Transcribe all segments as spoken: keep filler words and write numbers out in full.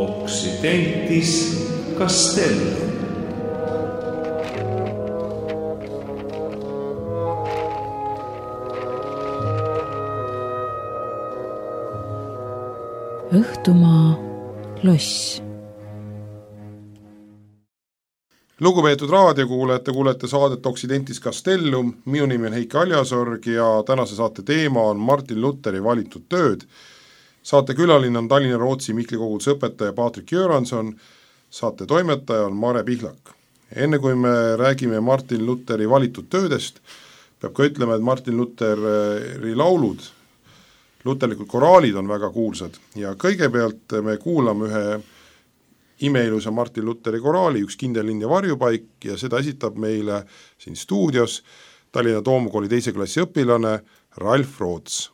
Occidentis Castellum. Õhtumaa loss. Lugupeetud raadiokuulajad, te kuulete saadet Occidentis Castellum, minu nimi on Heiki Aljasorg ja tänase saate teema on Martin Lutheri valitud tööd. Saate külaline on Tallinna Rootsi Mihkli koguduse õpetaja Patrik Göranson, saate toimetaja on Mare Pihlak. Enne kui me räägime Martin Lutheri valitud töödest, peab ka ütlema, et Martin Lutheri laulud, luterlikud koraalid on väga kuulsad ja kõigepealt me kuulame ühe imeilusa Martin Lutheri koraali, üks kindel linn ja varjupaik ja seda esitab meile siin stuudios Tallinna Toomkooli teise klassi õpilane Ralf Roots.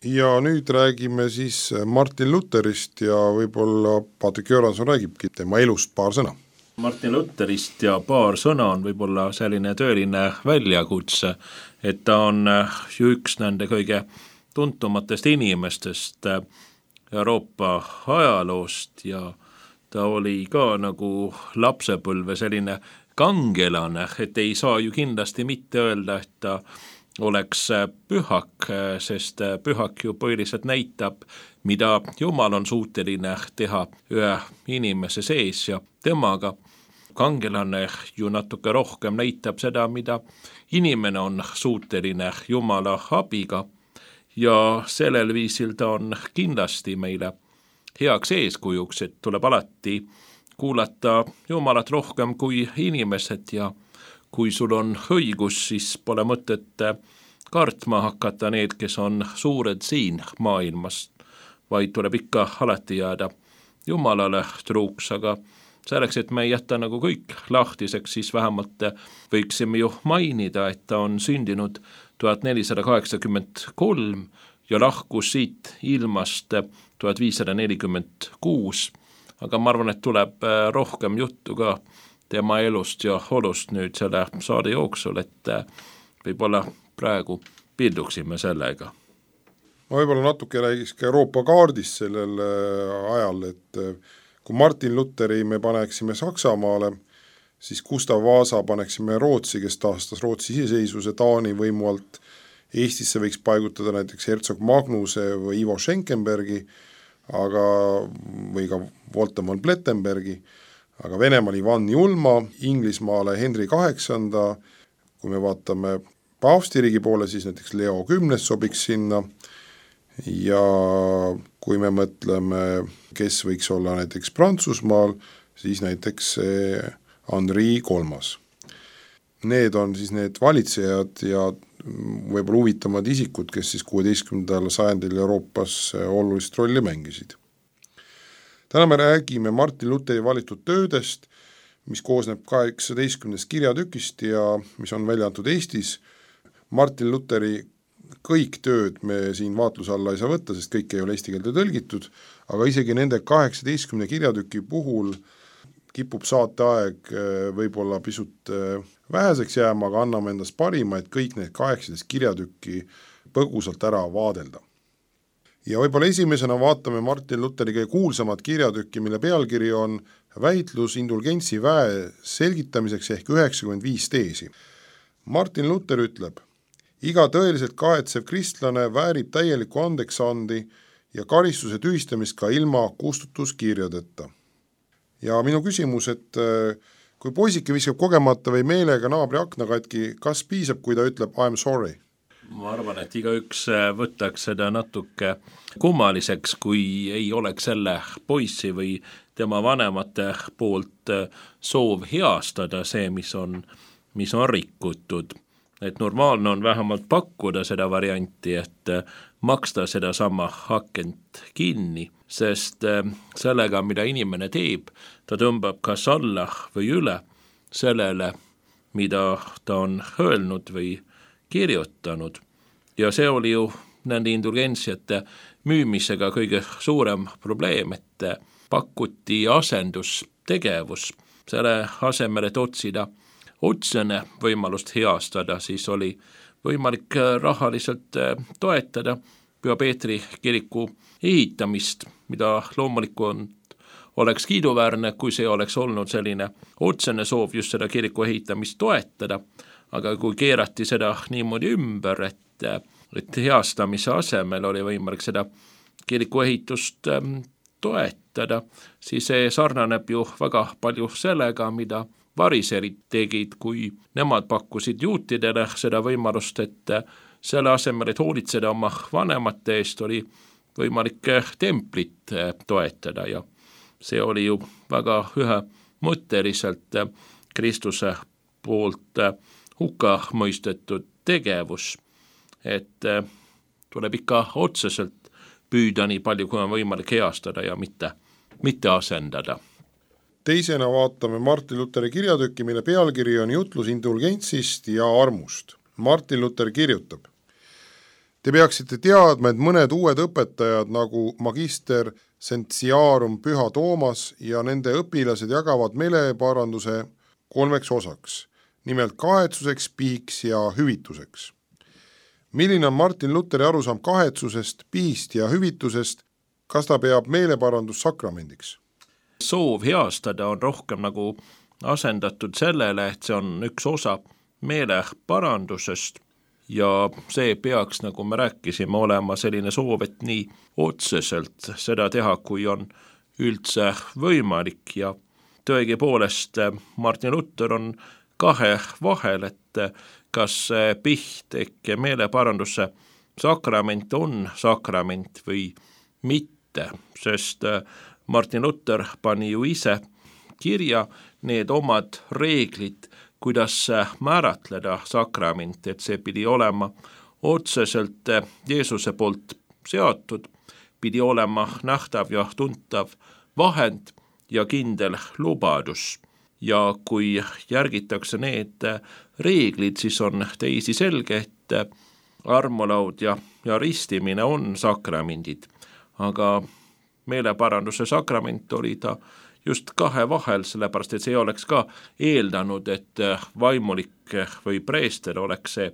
Ja nüüd räägime siis Martin Lutherist ja võib-olla Patrik Göranson räägibki tema elust paar sõna. Martin Lutherist ja paar sõna on võib-olla selline tööline väljakutse, et ta on ju üks nende kõige tuntumatest inimestest Euroopa ajaloost ja ta oli ka nagu lapsepõlve selline kangelane, et ei saa ju kindlasti mitte öelda, et ta oleks pühak, sest pühak ju põhiliselt näitab, mida Jumal on suuteline teha ühe inimese sees ja temaga. Kangelane ju natuke rohkem näitab seda, mida inimene on suuteline Jumala abiga ja sellel viisil ta on kindlasti meile heaks eeskujuks, et tuleb alati kuulata Jumalat rohkem kui inimesed ja kui sul on õigus, siis pole mõtet kartma hakata need, kes on suured siin maailmas, vaid tuleb ikka alati jääda Jumalale truuks, aga selleks, et me ei jäta nagu kõik lahtiseks, siis vähemalt võiksime ju mainida, et ta on sündinud tuhat nelisada kaheksakümmend kolm ja lahkus siit ilmast tuhat viissada nelikümmend kuus, aga ma arvan, et tuleb rohkem juttu ka tema elust ja olust nüüd selle saade jooksul, et võib-olla praegu pilduksime sellega. Ma võib-olla natuke räägiks ka Euroopa kaardist sellel ajal, et kui Martin Lutheri me paneksime Saksamaale, siis Gustav Vasa paneksime Rootsi, kes taastas Rootsi iseseisvuse Taani võimu alt. Eestisse võiks paigutada näiteks Herzog Magnuse või Ivo Schenkenbergi, aga, või ka Voltemon Plettenbergi, aga Venemaal Ivan Julma, Inglismaale Henri kaheksanda, kui me vaatame paavstiriigi poole, siis näiteks Leo kümnes sobiks sinna ja kui me mõtleme, kes võiks olla näiteks Prantsusmaal, siis näiteks Henri kolmas. Need on siis need valitsejad ja võib-olla huvitavad isikud, kes siis kuueteistkümnendal sajandil Euroopas olulist rolli mängisid. Täna me räägime Martin Lutheri valitud töödest, mis koosneb kaheksateistkümnest kirjatükist ja mis on välja antud Eestis. Martin Lutheri kõik tööd me siin vaatluse alla ei saa võtta, sest kõik ei ole eesti keelde tõlgitud, aga isegi nende kaheksateistkümne kirjatüki puhul kipub saateaeg võib-olla pisut väheseks jääma, aga anname endast parima, et kõik need kaheksateist kirjatükki põgusalt ära vaadelda. ja võib-olla esimesena vaatame Martin Lutheri kõige kuulsamat kirjatükki, mille pealkiri on väitlus indulgentsi väe selgitamiseks ehk üheksakümmend viis teesi. Martin Luther ütleb, iga tõeliselt kahetsev kristlane väärib täielikku andeksandi ja karistuse tühistamist ka ilma kustutuskirjadeta. Ja minu küsimus, et kui poisike viskab kogemata või meelega naabri akna katki, kas piisab, kui ta ütleb I am sorry? Ma arvan, et igaüks võtaks seda natuke kummaliseks, kui ei oleks selle poissi või tema vanemate poolt soov heastada see, mis on, mis on rikutud. Et normaalne on vähemalt pakkuda seda varianti, et maksta seda sama hakent kinni, sest sellega, mida inimene teeb, ta tõmbab kas alla või üle sellele, mida ta on öelnud või kirjutanud. Ja see oli ju nende indulgentsiate müümisega kõige suurem probleem, et pakuti asendustegevus. Selle asemel, et otsida otsene võimalust heastada, siis oli võimalik rahaliselt toetada Püha Peetri kiriku ehitamist, mida loomulikult oleks kiiduväärne, kui see oleks olnud selline otsene soov just seda kiriku ehitamist toetada, aga kui keerati seda niimoodi ümber, et, et heastamise asemel oli võimalik seda kiriku ehitust toetada, siis see sarnaneb ju väga palju sellega, mida variserid tegid, kui nemad pakkusid juutidele seda võimalust, et selle asemel, et hoolitseda oma vanemate eest, oli võimalik templit toetada ja see oli ju väga ühemõtteliselt Kristuse poolt hukka mõistetud tegevus, et tuleb ikka otseselt püüda nii palju, kui on võimalik heastada ja mitte, mitte asendada. Teisena vaatame Martin Lutheri kirjatükki, mille pealkiri on jutlus indulgentsist ja armust. Martin Luther kirjutab, te peaksite teadma, et mõned uued õpetajad nagu magister Sentiarum Püha Toomas ja nende õpilased jagavad meeleparanduse kolmeks osaks, nimelt kahetsuseks, pihiks ja hüvituseks. Milline on Martin Lutheri arusaam kahetsusest, pihist ja hüvitusest, kas ta peab meeleparandus sakramendiks? Soov heastada on rohkem nagu asendatud sellele, et see on üks osa meeleparandusest ja see peaks, nagu me rääkisime, olema selline soov, et nii otseselt seda teha, kui on üldse võimalik ja tõegi poolest Martin Luther on kahe vahel, et kas piht ehk meeleparanduse sakrament on sakrament või mitte, sest Martin Luther pani ju ise kirja need omad reeglid, kuidas määratleda sakrament, et see pidi olema otseselt Jeesuse poolt seatud, pidi olema nähtav ja tuntav vahend ja kindel lubadus. Ja kui järgitakse need reeglid, siis on teisi selge, et armulaud ja, ja ristimine on sakramendid, aga meeleparanduse sakrament oli ta just kahe vahel, sellepärast et see oleks ka eeldanud, et vaimulik või preester oleks see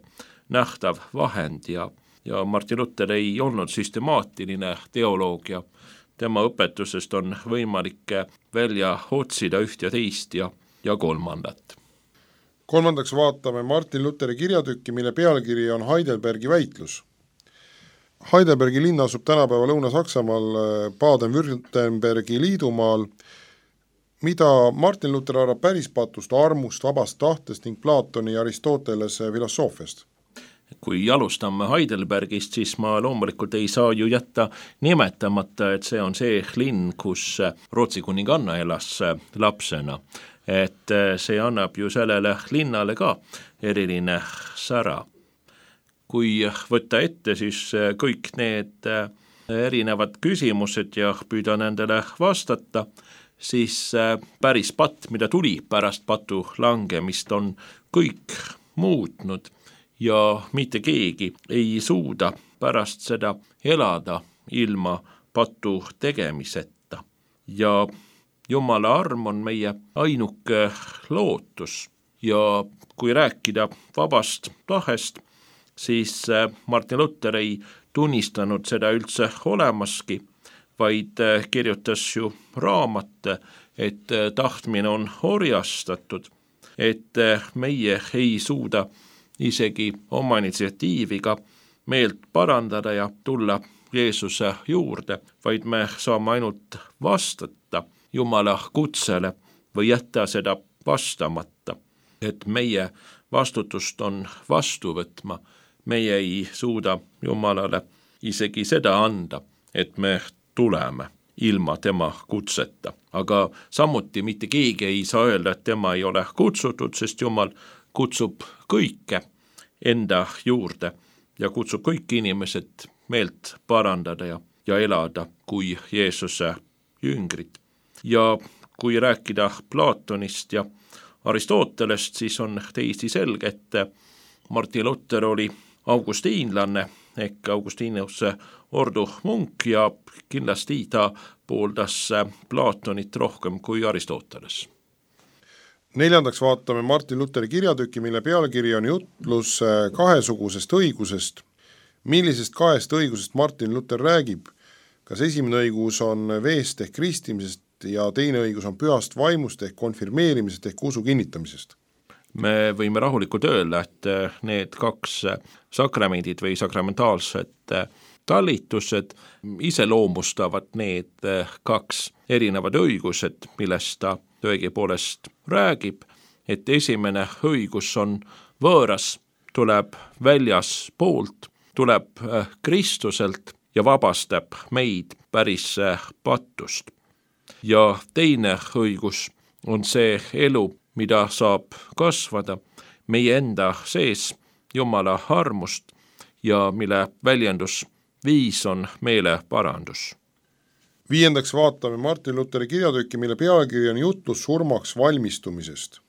nähtav vahend ja, ja Martin Luther ei olnud süstemaatiline teoloogia. Tema õpetusest on võimalik välja otsida üht ja teist ja, ja kolmandat. Kolmandaks vaatame Martin Lutheri kirjatükki, mille pealkiri on Heidelbergi väitlus. Heidelbergi linn asub tänapäeva Lõuna-Saksamaal Baden-Württembergi liidumaal, mida Martin Luther arvab päris patust, armust, vabast tahtest ning Platoni ja Aristotelese filosoofiast. Kui alustame Heidelbergist, siis ma loomulikult ei saa ju jätta nimetamata, et see on see linn, kus Rootsi kuninganna elas lapsena. Et see annab ju sellele linnale ka eriline sära. Kui võtta ette, siis kõik need erinevad küsimused ja püüda nendele vastata, siis päris patt, mida tuli pärast patu langemist, on kõik muutnud ja mitte keegi ei suuda pärast seda elada ilma patu tegemiseta. Ja Jumala arm on meie ainuke lootus ja kui rääkida vabast tahest, siis Martin Luther ei tunnistanud seda üldse olemaski, vaid kirjutas ju raamate, et tahtmine on orjastatud, et meie ei suuda isegi oma initsiatiiviga meelt parandada ja tulla Jeesuse juurde, vaid me saame ainult vastata Jumala kutsele või jätta seda vastamata, et meie vastutust on vastu võtma. Meie ei suuda Jumalale isegi seda anda, et me tuleme ilma tema kutseta. Aga samuti mitte keegi ei saa öelda, et tema ei ole kutsutud, sest Jumal kutsub kõike enda juurde ja kutsub kõik inimesed meelt parandada ja, ja elada kui Jeesuse jüngrid. Ja kui rääkida Platonist ja Aristotelest, siis on täiesti selge, et Martin Luther oli augustiinlanne ehk Augustinuse ordu munk ja kindlasti ta pooldas Platonit rohkem kui Aristoteles. Neljandaks vaatame Martin Lutheri kirjatüki, mille pealkiri on jutlus kahesugusest õigusest. Millisest kahest õigusest Martin Luther räägib? Kas esimene õigus on veest ehk kristimisest ja teine õigus on pühast vaimust ehk konfirmeerimisest ehk usu kinnitamisest? Me võime rahulikult öelda, et need kaks sakramendid või sakramentaalsed talitused iseloomustavad need kaks erinevad õigused, millest ta tõepoolest räägib, et esimene õigus on võõras, tuleb väljas poolt, tuleb Kristuselt ja vabastab meid päris patust. Ja teine õigus on see elu, mida saab kasvada meie enda sees Jumala armust ja mille väljendus viis on meeleparandus. Viiendaks vaatame Martin Lutheri kirjatükki, mille pealkiri on jutlus surmaks valmistumisest.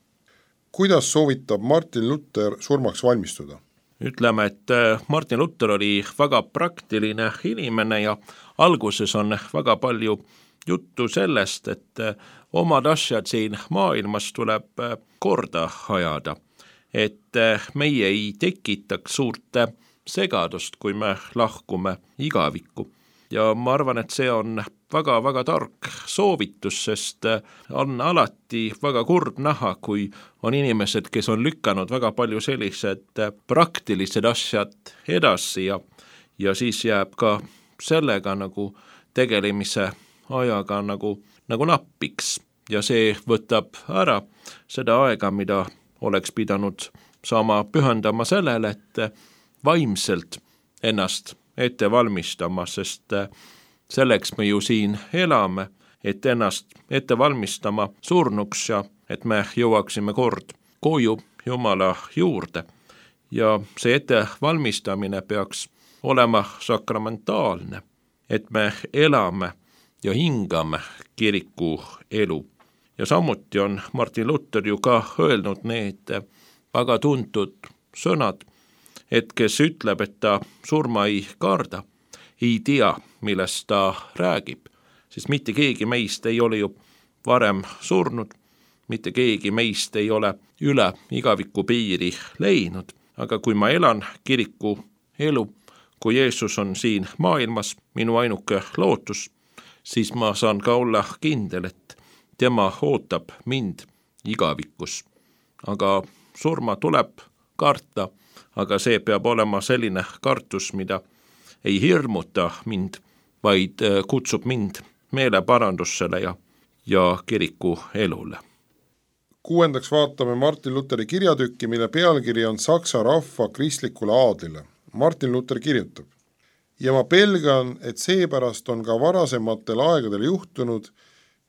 Kuidas soovitab Martin Luther surmaks valmistuda? Ütleme, et Martin Luther oli väga praktiline inimene ja alguses on väga palju juttu sellest, et omad asjad siin maailmas tuleb korda ajada, et meie ei tekitaks suurt segadust, kui me lahkume igavikku. Ja ma arvan, et see on väga-väga tark soovitus, sest on alati väga kurb näha, kui on inimesed, kes on lükanud väga palju sellised praktilised asjad edasi ja, ja siis jääb ka sellega nagu tegelemise ajaga nagu, nagu nappiks ja see võtab ära seda aega, mida oleks pidanud saama pühendama sellele, et vaimselt ennast ette valmistama, sest selleks me ju siin elame, et ennast ette valmistama surnuks ja et me jõuaksime kord koju Jumala juurde. Ja see ette valmistamine peaks olema sakramentaalne, et me elame ja hingame kiriku elu. Ja samuti on Martin Luther ju ka öelnud need väga tuntud sõnad, et kes ütleb, et ta surma ei karda, ei tea, millest ta räägib, siis mitte keegi meist ei ole ju varem surnud, mitte keegi meist ei ole üle igaviku piiri leidnud, aga kui ma elan kiriku elu, kui Jeesus on siin maailmas minu ainuke lootus, siis ma saan ka olla kindel, et tema ootab mind igavikus. Aga surma tuleb karta, aga see peab olema selline kartus, mida ei hirmuta mind, vaid kutsub mind meeleparandusele ja, ja kiriku elule. Kuuendaks vaatame Martin Lutheri kirjatükki, mille pealkiri on Saksa rahva kristlikule aadlile. Martin Luther kirjutab: ja ma pelgan, et seepärast on ka varasematel aegadel juhtunud,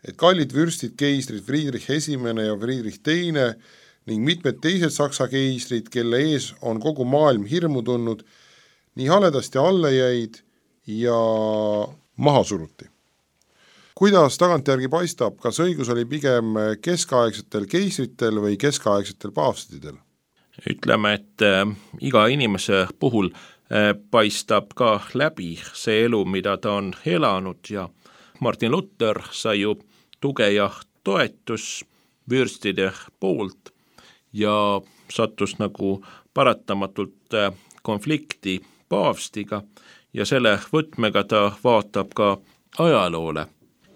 et kallid vürstid keisrid Friedrich esimene ja Friedrich teine ning mitmed teised saksa keisrid, kelle ees on kogu maailm hirmu tundnud, nii haledasti alla jäid ja maha suruti. Kuidas tagantjärgi paistab, kas õigus oli pigem keskaegsetel keisritel või keskaegsetel paavstidel? Ütleme, et äh, iga inimese puhul äh, paistab ka läbi see elu, mida ta on elanud ja Martin Luther sai ju tuge ja toetus vürstide poolt ja sattus nagu paratamatult konflikti paavstiga ja selle võtmega ta vaatab ka ajaloole.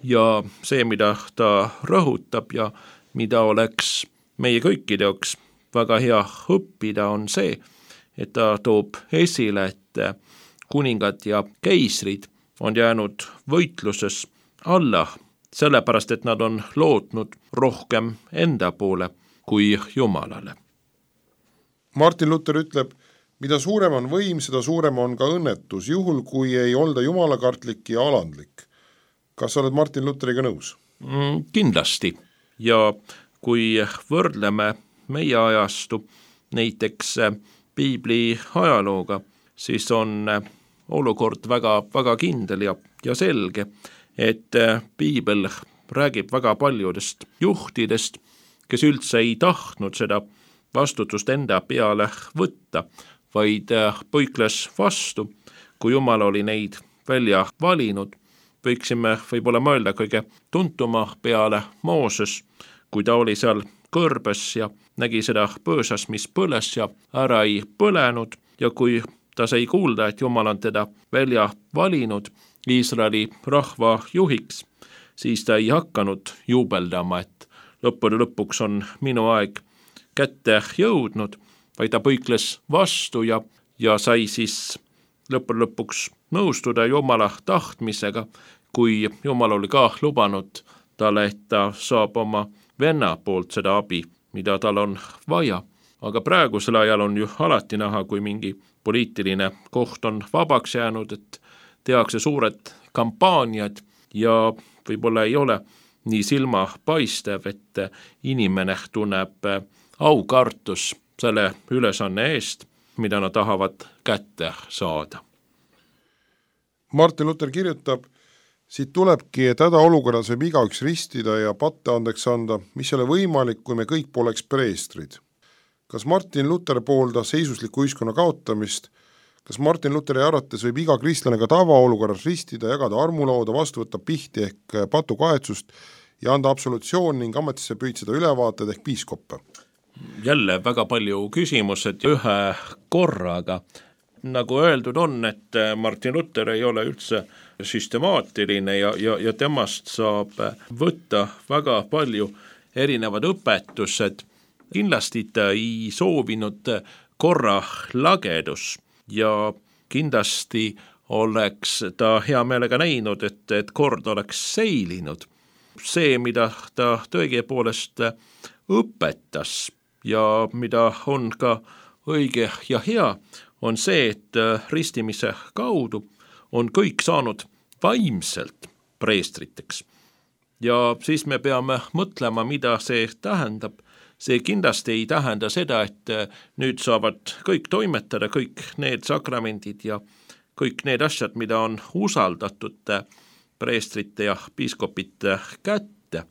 Ja see, mida ta rõhutab ja mida oleks meie kõikide jaoks väga hea õppida, on see, et ta toob esile, et kuningad ja keisrid on jäänud võitluses alla, sellepärast et nad on lootnud rohkem enda poole kui Jumalale. Martin Luther ütleb, mida suurem on võim, seda suurem on ka õnnetus, juhul kui ei olda jumalakartlik ja alandlik. Kas sa oled Martin Lutheriga nõus? Mm, kindlasti. Ja kui võrdleme meie ajastu näiteks piibli ajalooga, siis on olukord väga, väga kindel ja, ja selge, et piibel räägib väga paljudest juhtidest, kes üldse ei tahtnud seda vastutust enda peale võtta, vaid põikles vastu, kui Jumal oli neid välja valinud. Võiksime võib-olla mõelda kõige tuntuma peale Mooses, kui ta oli seal kõrbes ja nägi seda põõsas, mis põles ja ära ei põlenud, ja kui ta sai kuulda, et Jumal on teda välja valinud Iisraeli rahva juhiks, siis ta ei hakanud juubeldama, et lõppude lõpuks on minu aeg kätte jõudnud, vaid ta põikles vastu ja, ja sai siis lõppude lõpuks nõustuda Jumala tahtmisega, kui Jumal oli ka lubanud talle, et ta saab oma venna poolt seda abi, mida tal on vaja. Aga praegusel ajal on ju alati näha, kui mingi poliitiline koht on vabaks jäänud, et tehakse suured kampaaniad ja võib-olla ei ole nii silma paistev, et inimene tunneb aukartus selle ülesanne eest, mida nad tahavad kätte saada. Martin Luther kirjutab, siit tulebki, et hädaolukorras võib igaüks ristida ja patte andeks anda, mis ei ole võimalik, kui me kõik poleks preestrid. Kas Martin Luther pooldas seisusliku ühiskonna kaotamist? Kas Martin Lutheri arvates võib iga kristlane ka tavaolukorras ristida, jagada armulauda, vastu võtta pihti ehk patukahetsust ja anda absolutsioon ning ametisse püüdseda ülevaated ehk piiskoppe? Jälle väga palju küsimused ühe korraga. Nagu öeldud on, et Martin Luther ei ole üldse süstemaatiline ja, ja, ja temast saab võtta väga palju erinevad õpetused. Kindlasti ta ei soovinud korra lagedus ja kindlasti oleks ta hea meelega näinud, et, et kord oleks seilinud. See, mida ta tõepoolest õpetas ja mida on ka õige ja hea, on see, et ristimise kaudu on kõik saanud vaimselt preestriteks. Ja siis me peame mõtlema, mida see tähendab. See kindlasti ei tähenda seda, et nüüd saavad kõik toimetada, kõik need sakramendid ja kõik need asjad, mida on usaldatud preestrite ja piiskopite kätte.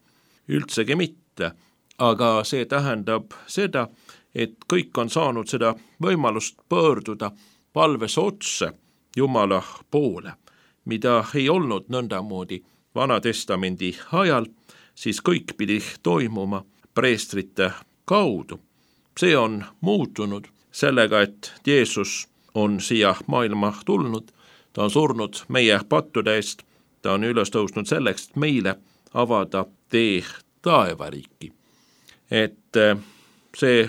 Üldsegi mitte, aga see tähendab seda, et kõik on saanud seda võimalust pöörduda palves otse Jumala poole, mida ei olnud nõndamoodi Vana Testamendi ajal, siis kõik pidi toimuma preestrite kaudu. See on muutunud sellega, et Jeesus on siia maailma tulnud, ta on surnud meie pattude eest, ta on üles tõusnud selleks, et meile avada tee taevariiki. Et see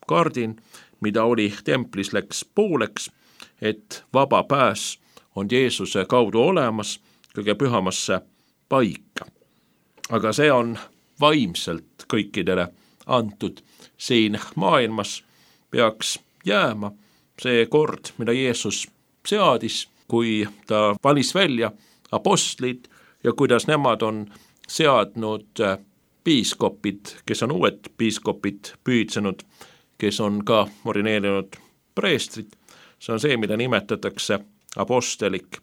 kardin, mida oli templis, läks pooleks, et vaba pääs on Jeesuse kaudu olemas kõige pühamasse paika. Aga see on vaimselt kõikidele antud. Siin maailmas peaks jääma see kord, mida Jeesus seadis, kui ta valis välja apostlid ja kuidas nemad on seadnud piiskopid, kes on uued piiskopid püüdsenud, kes on ka orineerinud preestrid. See on see, mida nimetatakse apostelik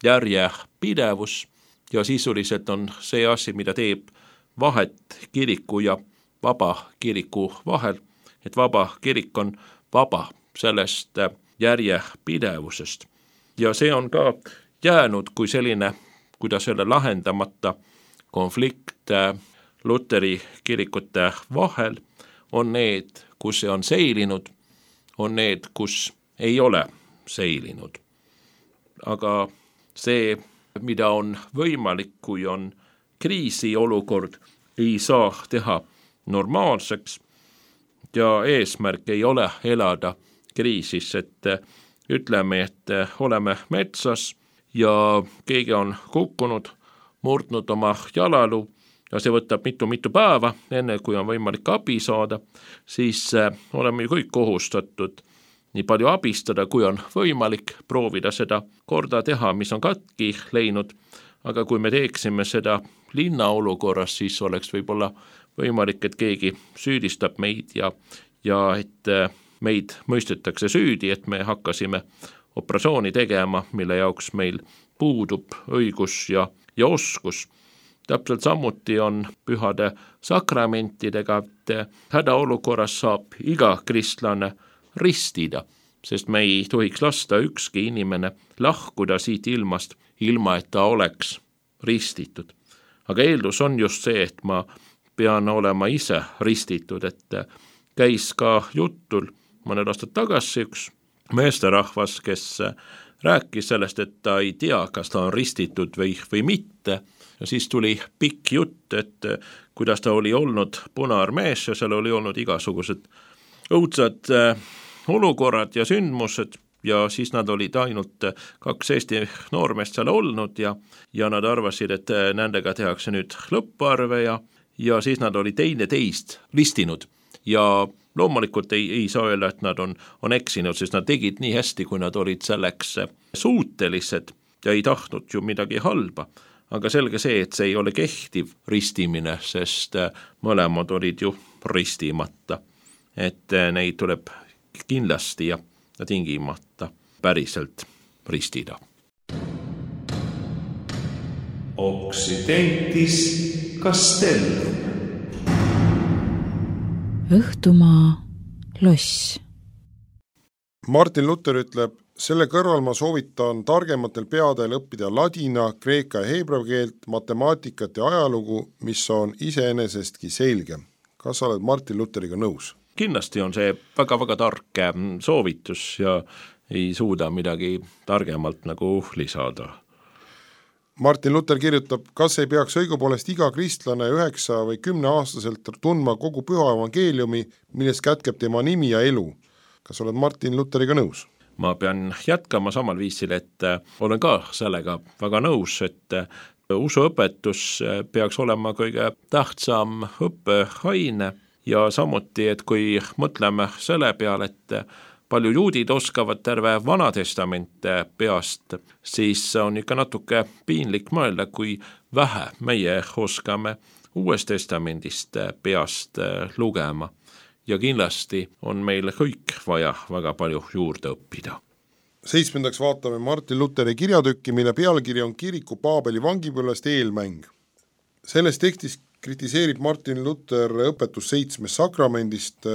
järjepidevus ja sisuliselt on see asi, mida teeb vahet kiriku ja vaba kiriku vahel, et vaba kirik on vaba sellest järjepidevusest. Ja see on ka jäänud kui selline, kuidas selle lahendamata konflikt Luteri kirikute vahel, on need, kus see on seilinud, on need, kus ei ole seilinud. aga see, mida on võimalik, kui on kriisiolukord, ei saa teha normaalseks ja eesmärk ei ole elada kriisis, et ütleme, et oleme metsas ja keegi on kukkunud, murdnud oma jalaluu ja see võtab mitu-mitu päeva, enne kui on võimalik abi saada, siis oleme ju kõik kohustatud nii palju abistada, kui on võimalik, proovida seda korda teha, mis on katki läinud, aga kui me teeksime seda linna olukorras, siis oleks võib-olla võimalik, et keegi süüdistab meid ja, ja et meid mõistetakse süüdi, et me hakkasime operatsiooni tegema, mille jaoks meil puudub õigus ja, ja oskus. Täpselt samuti on pühade sakramentidega, et hädaolukorras saab iga kristlane ristida, sest me ei tohiks lasta ükski inimene lahkuda siit ilmast, ilma et ta oleks ristitud. Aga eeldus on just see, et ma pean olema ise ristitud, et käis ka jutul mõned aastad tagasi üks meesterahvas, kes rääkis sellest, et ta ei tea, kas ta on ristitud või, või mitte. Ja siis tuli pikk jutt, et kuidas ta oli olnud Punaarmees ja seal oli olnud igasugused õudsad olukorrad ja sündmused ja siis nad olid ainult kaks Eesti noormeest seal olnud ja, ja nad arvasid, et nendega tehakse nüüd lõpparve ja, ja siis nad oli teine teist ristinud ja loomulikult ei, ei saa öelda, et nad on, on eksinud, sest nad tegid nii hästi, kui nad olid selleks suutelised ja ei tahtnud ju midagi halba. Aga selge see, et see ei ole kehtiv ristimine, sest mõlemad olid ju ristimata. Et neid tuleb kindlasti ja tingimata päriselt ristida. Occidentis Castellum. Õhtumaa loss. Martin Luther ütleb, selle kõrval ma soovitan targematel peadel õppida ladina, kreeka ja heebrea keelt, matemaatikat ja ajalugu, mis on iseenesestki selge. Kas sa oled Martin Lutheriga nõus? Kindlasti on see väga-väga tark soovitus ja ei suuda midagi targemalt nagu lisada. Martin Luther kirjutab, kas ei peaks õigupoolest iga kristlane üheksa või kümne aastaselt tundma kogu püha evangeeliumi, milles kätkeb tema nimi ja elu. Kas oled Martin Lutheriga nõus? Ma pean jätkama samal viisil, et olen ka sellega väga nõus, et usuõpetus peaks olema kõige tähtsam õppeaine ja samuti, et kui mõtleme selle peale, et palju juudid oskavad terve Vana Testament peast, siis on ikka natuke piinlik mõelda, kui vähe meie oskame Uuest Testamendist peast lugema. Ja kindlasti on meil kõik vaja väga palju juurde õppida. Seitsmendaks vaatame Martin Lutheri kirjatükki, mille pealkiri on Kiriku Paabeli vangipõlvest eelmäng. Selles tekstis kritiseerib Martin Luther õpetus seitsmest sakramendist.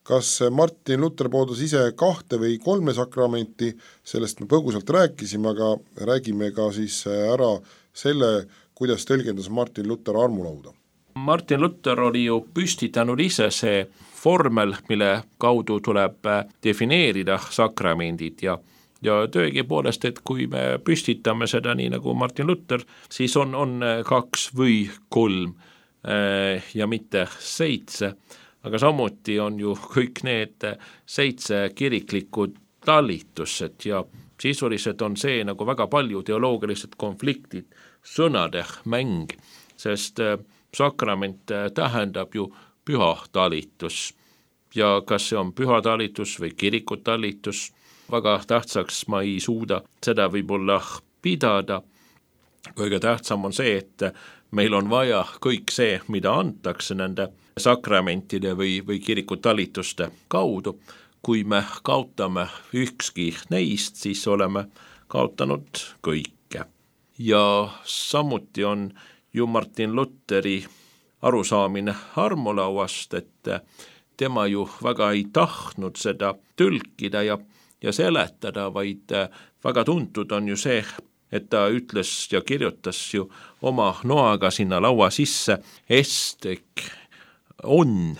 Kas Martin Luther pooldas ise kahte või kolme sakramenti, sellest me põgusalt rääkisime, aga räägime ka siis ära selle, kuidas tõlgendas Martin Luther armulauda. Martin Luther oli ju püstitanud ise see formel, mille kaudu tuleb defineerida sakramendid ja, ja tõegi poolest, et kui me püstitame seda nii nagu Martin Luther, siis on, on kaks või kolm ja mitte seitse, aga samuti on ju kõik need seitse kiriklikud talitused ja sisuliselt on see nagu väga palju teoloogilised konfliktid, sõnade mäng, sest sakrament tähendab ju püha talitus ja kas see on püha talitus või kiriku talitus, väga tähtsaks ma ei suuda seda võib-olla pidada. Kõige tähtsam on see, et meil on vaja kõik see, mida antakse nende sakramentide või, või kiriku talituste kaudu. Kui me kaotame ükski neist, siis oleme kaotanud kõike. Ja samuti on ju Martin Lutheri arusaamine armulauast, et tema ju väga ei tahtnud seda tõlkida ja, ja seletada, vaid väga tuntud on ju see, et ta ütles ja kirjutas ju oma noaga sinna laua sisse, estek on,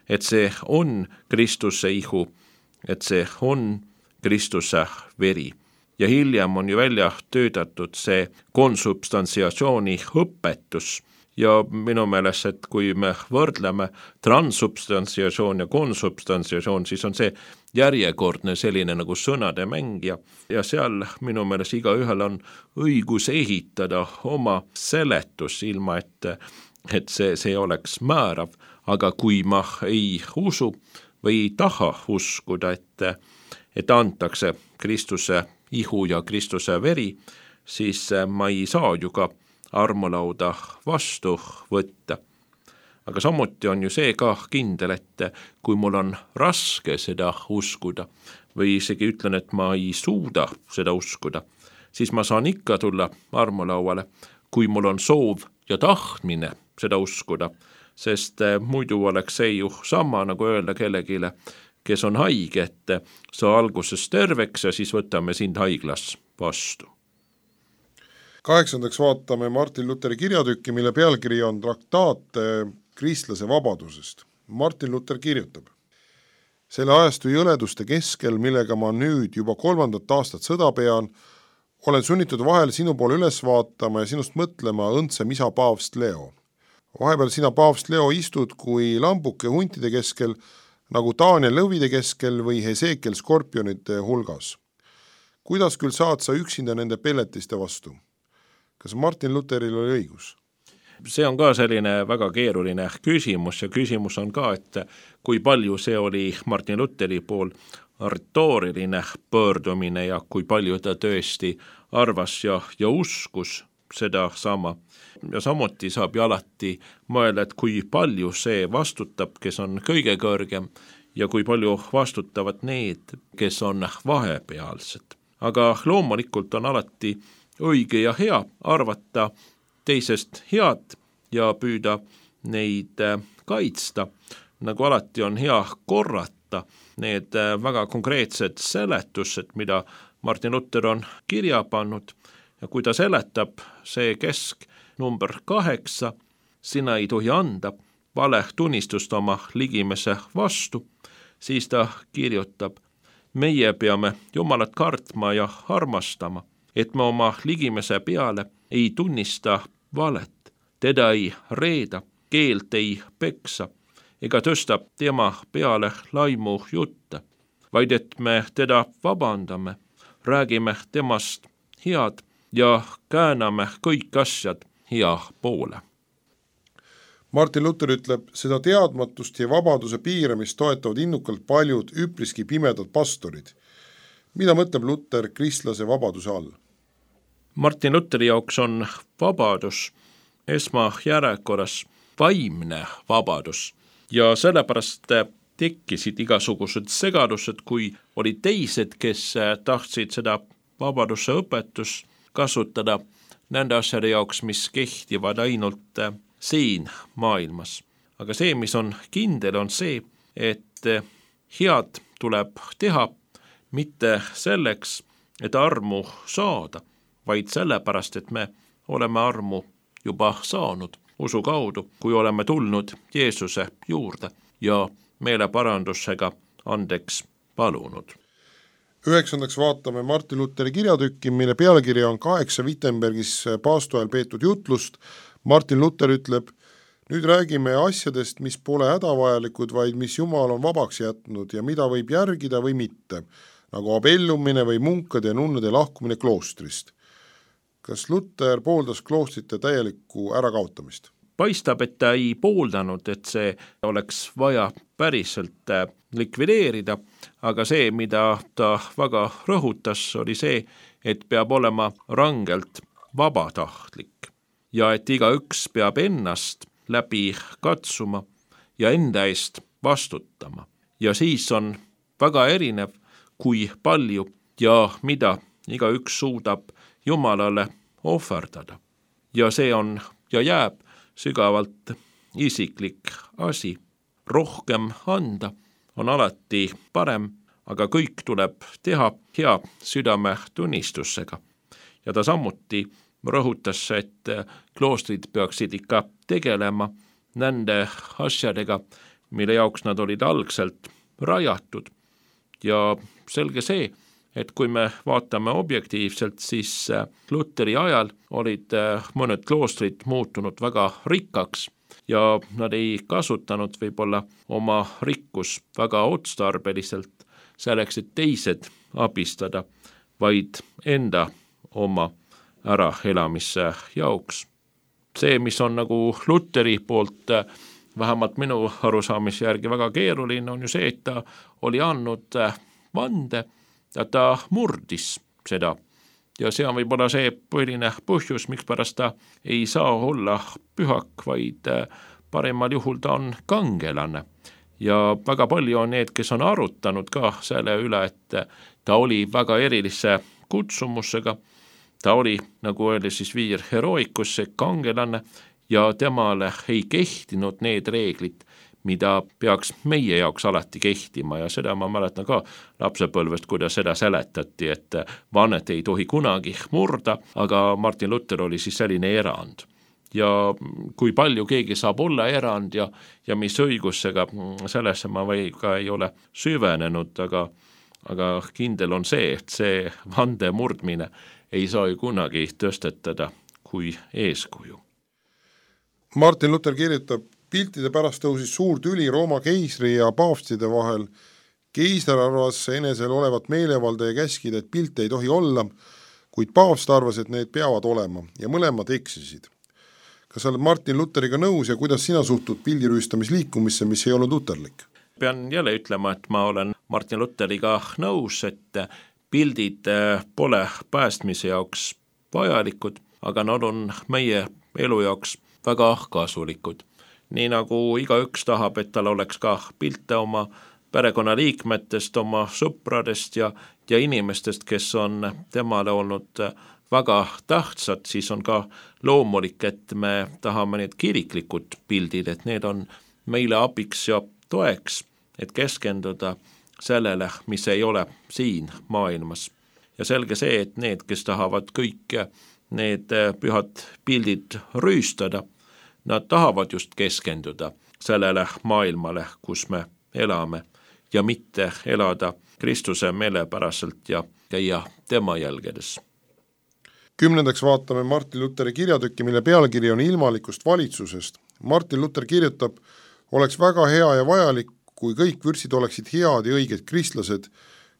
et see on Kristuse ihu, et see on Kristuse veri. ja hiljem on ju välja töötatud see konsubstantsiatsiooni õpetus ja minu meelest, et kui me võrdleme transsubstantsiatsioon ja konsubstantsiatsioon, siis on see järjekordne selline nagu sõnade mäng ja, ja seal minu meelest iga ühel on õigus ehitada oma seletus ilma, et, et see, see oleks määrav, aga kui ma ei usu või ei taha uskuda, et, et antakse Kristuse ihu ja Kristuse veri, siis ma ei saa ju ka armulauda vastu võtta. Aga samuti on ju see ka kindel, et kui mul on raske seda uskuda või isegi ütlen, et ma ei suuda seda uskuda, siis ma saan ikka tulla armulauale, kui mul on soov ja tahtmine seda uskuda, sest muidu oleks see ju sama nagu öelda kellegile, kes on haige, et sa alguses terveks ja siis võtame sind haiglas vastu. Kaheksandaks vaatame Martin Lutheri kirjatükki, mille pealkiri on Traktaat kristlase vabadusest. Martin Luther kirjutab: selle ajastu jõleduste keskel, millega ma nüüd juba kolmandat aastat sõda pean, olen sunnitud vahel sinu poole üles vaatama ja sinust mõtlema õndsem isa paavst Leo. Vahepeal sina paavst Leo istud kui lambuke huntide keskel, nagu Daniel lõvide keskel või Hesekiel skorpionite hulgas. Kuidas küll saad sa üksinda nende pelletiste vastu? Kas Martin Lutheril oli õigus? See on ka selline väga keeruline küsimus ja küsimus on ka, et kui palju see oli Martin Lutheri pool retooriline pöördumine ja kui palju ta tõesti arvas ja, ja uskus seda sama. Ja samuti saab ju alati mõelda, et kui palju see vastutab, kes on kõige kõrgem ja kui palju vastutavad need, kes on vahepealsed. Aga loomulikult on alati õige ja hea arvata teisest head ja püüda neid kaitsta. Nagu alati on hea korrata need väga konkreetsed seletused, mida Martin Luther on kirja pannud ja kui ta seletab see kesk number kaheksa, sina ei tohi anda vale tunnistust oma ligimese vastu, siis ta kirjutab: meie peame Jumalat kartma ja armastama, et me oma ligimese peale ei tunnista valet, teda ei reeda, keelt ei peksa, ega tõsta tema peale laimu jutte, vaid et me teda vabandame, räägime temast head ja kääname kõik asjad hea poole. Martin Luther ütleb, seda teadmatust ja vabaduse piiramist toetavad innukalt paljud üpriski pimedad pastorid. Mida mõtleb Luther kristlase vabaduse all? Martin Lutheri jaoks on vabadus esmajärjekorras vaimne vabadus ja sellepärast tekkisid igasugused segadused, kui olid teised, kes tahtsid seda vabaduse õpetust kasutada nende asjade jaoks, mis kehtivad ainult siin maailmas. Aga see, mis on kindel, on see, et head tuleb teha mitte selleks, et armu saada, vaid sellepärast, et me oleme armu juba saanud usu kaudu, kui oleme tulnud Jeesuse juurde ja meeleparandusega andeks palunud. Üheksandaks vaatame Martin Lutheri kirjatükki, mille pealkiri on kaheksa Wittenbergis paastu ajal peetud jutlust. Martin Luther ütleb, nüüd räägime asjadest, mis pole hädavajalikud, vaid mis Jumal on vabaks jätnud ja mida võib järgida või mitte, nagu abellumine või munkade ja nunnade lahkumine kloostrist. Kas Luther pooldas kloostrite täielikku ärakaotamist? Paistab, et ta ei pooldanud, et see oleks vaja päriselt likvideerida, aga see, mida ta väga rõhutas, oli see, et peab olema rangelt vabatahtlik ja et igaüks peab ennast läbi katsuma ja enda eest vastutama. Ja siis on väga erinev, kui palju ja mida igaüks suudab Jumalale ohverdada. Ja see on ja jääb sügavalt isiklik asi. Rohkem anda on alati parem, aga kõik tuleb teha hea südame tunnistusega. Ja ta samuti rõhutas, et kloostrid peaksid ikka tegelema nende asjadega, mille jaoks nad olid algselt rajatud. Ja selge see, et kui me vaatame objektiivselt, siis Luteri ajal olid mõned kloostrid muutunud väga rikkaks ja nad ei kasutanud võib-olla oma rikkus väga otstarbeliselt selleks, et teised abistada, vaid enda oma äraelamise jaoks. See, mis on nagu Luteri poolt vähemalt minu arusaamise järgi väga keeruline, on ju see, et ta oli andnud vande ja ta murdis seda. Ja see on võib-olla see põhiline põhjus, miks pärast ta ei saa olla pühak, vaid parimal juhul ta on kangelane. Ja väga palju on need, kes on arutanud ka selle üle, et ta oli väga erilise kutsumusega, ta oli, nagu öeldi, siis viir heroikusse kangelane ja temale ei kehtinud need reeglid, mida peaks meie jaoks alati kehtima ja seda ma mäletan ka lapsepõlvest, kuidas seda seletati, et vannet ei tohi kunagi murda, aga Martin Luther oli siis selline erand. Ja kui palju keegi saab olla erand ja, ja mis õigusega, sellesse ma või ka ei ole süvenenud, aga, aga kindel on see, et see vande murdmine ei saa ju kunagi tõstetada kui eeskuju. Martin Luther kirjutab, piltide pärast tõusis suur tüli Rooma keisri ja paavstide vahel. Keisar arvas enesel olevat meelevalda ja käskida, et pilte ei tohi olla, kuid paavst arvas, et need peavad olema ja mõlemad eksisid. Kas sa oled Martin Lutheriga nõus ja kuidas sina suhtud pildirüüstamisliikumisse, mis ei olnud luterlik? Pean jälle ütlema, et ma olen Martin Lutheriga nõus, et pildid pole päästmise jaoks vajalikud, aga nad on meie elu jaoks väga kasulikud. Nii nagu igaüks tahab, et tal oleks ka pilte oma perekonnaliikmetest, oma sõpradest ja, ja inimestest, kes on temale olnud väga tähtsad, siis on ka loomulik, et me tahame need kiriklikud pildid, et need on meile abiks ja toeks, et keskenduda sellele, mis ei ole siin maailmas. Ja selge see, et need, kes tahavad kõik need pühad pildid rüüstada, nad tahavad just keskenduda sellele maailmale, kus me elame ja mitte elada Kristuse meelepäraselt ja käia tema jälgedes. Kümnendaks vaatame Martin Lutheri kirjatükki, mille pealkiri on ilmalikust valitsusest. Martin Luther kirjutab, oleks väga hea ja vajalik, kui kõik vürstid oleksid head ja õiged kristlased.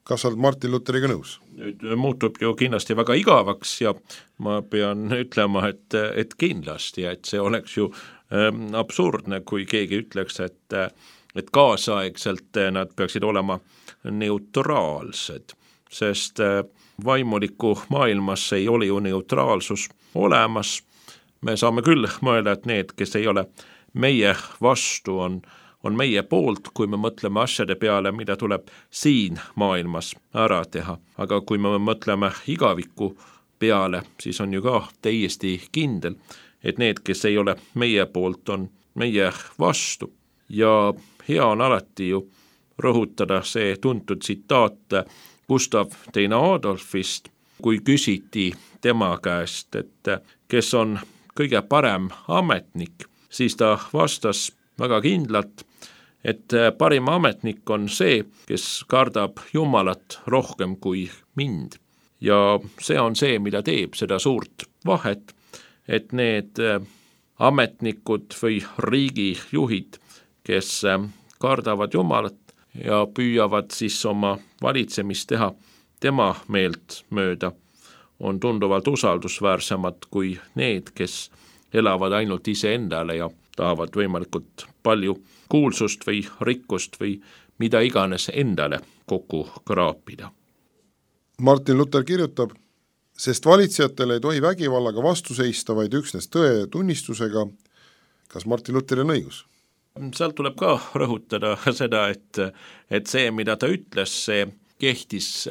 Kas oled Martin Lutheriga nõus? Nüüd muutub ju kindlasti väga igavaks ja ma pean ütlema, et, et kindlasti, et see oleks ju ähm, absurdne, kui keegi ütleks, et, et kaasaegselt nad peaksid olema neutraalsed, sest äh, vaimuliku maailmas ei ole ju neutraalsus olemas. Me saame küll mõelda, et need, kes ei ole meie vastu, on on meie poolt, kui me mõtleme asjade peale, mida tuleb siin maailmas ära teha. Aga kui me mõtleme igaviku peale, siis on ju ka täiesti kindel, et need, kes ei ole meie poolt, on meie vastu. Ja hea on alati ju rõhutada see tuntud tsitaat Gustav teine Adolfist, kui küsiti tema käest, et kes on kõige parem ametnik, siis ta vastas väga kindlalt, et parim ametnik on see, kes kardab Jumalat rohkem kui mind. Ja see on see, mida teeb seda suurt vahet, et need ametnikud või riigijuhid, kes kardavad Jumalat ja püüavad siis oma valitsemist teha tema meelt mööda, on tunduvalt usaldusväärsemad kui need, kes elavad ainult iseendale ja tahavad võimalikult palju kuulsust või rikkust või mida iganes endale kokku kraapida. Martin Luther kirjutab, sest valitsejatele ei tohi vägivallaga vastu seista, vaid üksnes tõe tunnistusega. Kas Martin Luther on õigus? Seal tuleb ka rõhutada seda, et, et see, mida ta ütles, see kehtis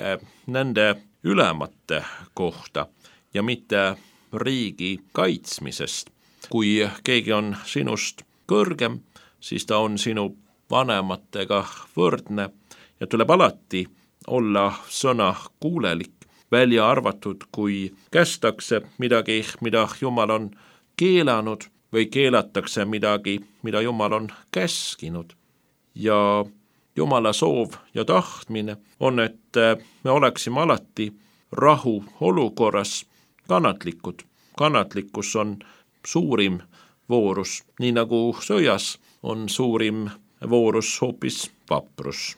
nende ülemate kohta ja mitte riigi kaitsmisest. Kui keegi on sinust kõrgem, siis ta on sinu vanematega võrdne ja tuleb alati olla sõna kuulelik, välja arvatud, kui kästakse midagi, mida Jumal on keelanud või keelatakse midagi, mida Jumal on käskinud. Ja Jumala soov ja tahtmine on, et me oleksime alati rahu olukorras kannatlikud. Kannatlikkus on suurim voorus, nii nagu sõjas on suurim voorus hoopis vaprus.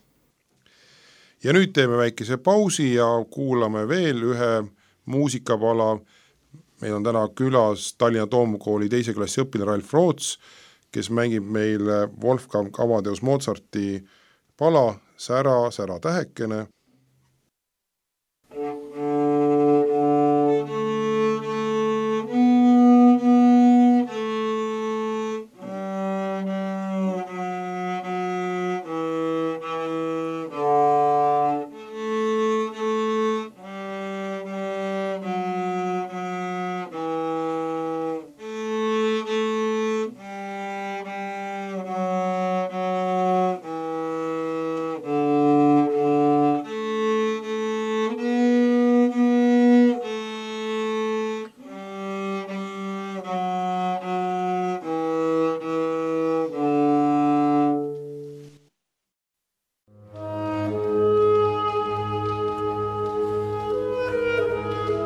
Ja nüüd teeme väikese pausi ja kuulame veel ühe muusikapala. Meil on täna külas Tallinna Toomkooli teise klassi õpilane Ralf Roots, kes mängib meile Wolfgang Amadeus Mozarti pala Sära, sära tähekene.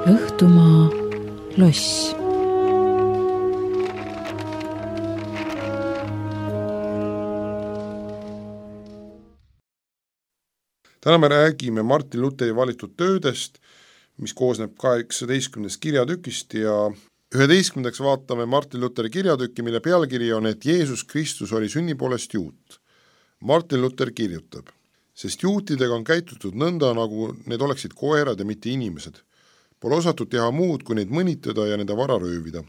Õhtumaa loss. Täna me räägime Martin Lutheri valitud töödest, mis koosneb kaheksateistkümnest kirjatükist ja üheteistkümnendaks vaatame Martin Lutheri kirjatükki, mille pealkiri on, et Jeesus Kristus oli sünni poolest juut. Martin Luther kirjutab, sest juutidega on käitutud nõnda, nagu need oleksid koerad ja mitte inimesed. Pole osatud teha muud, kui neid mõnitada ja nende vara röövida.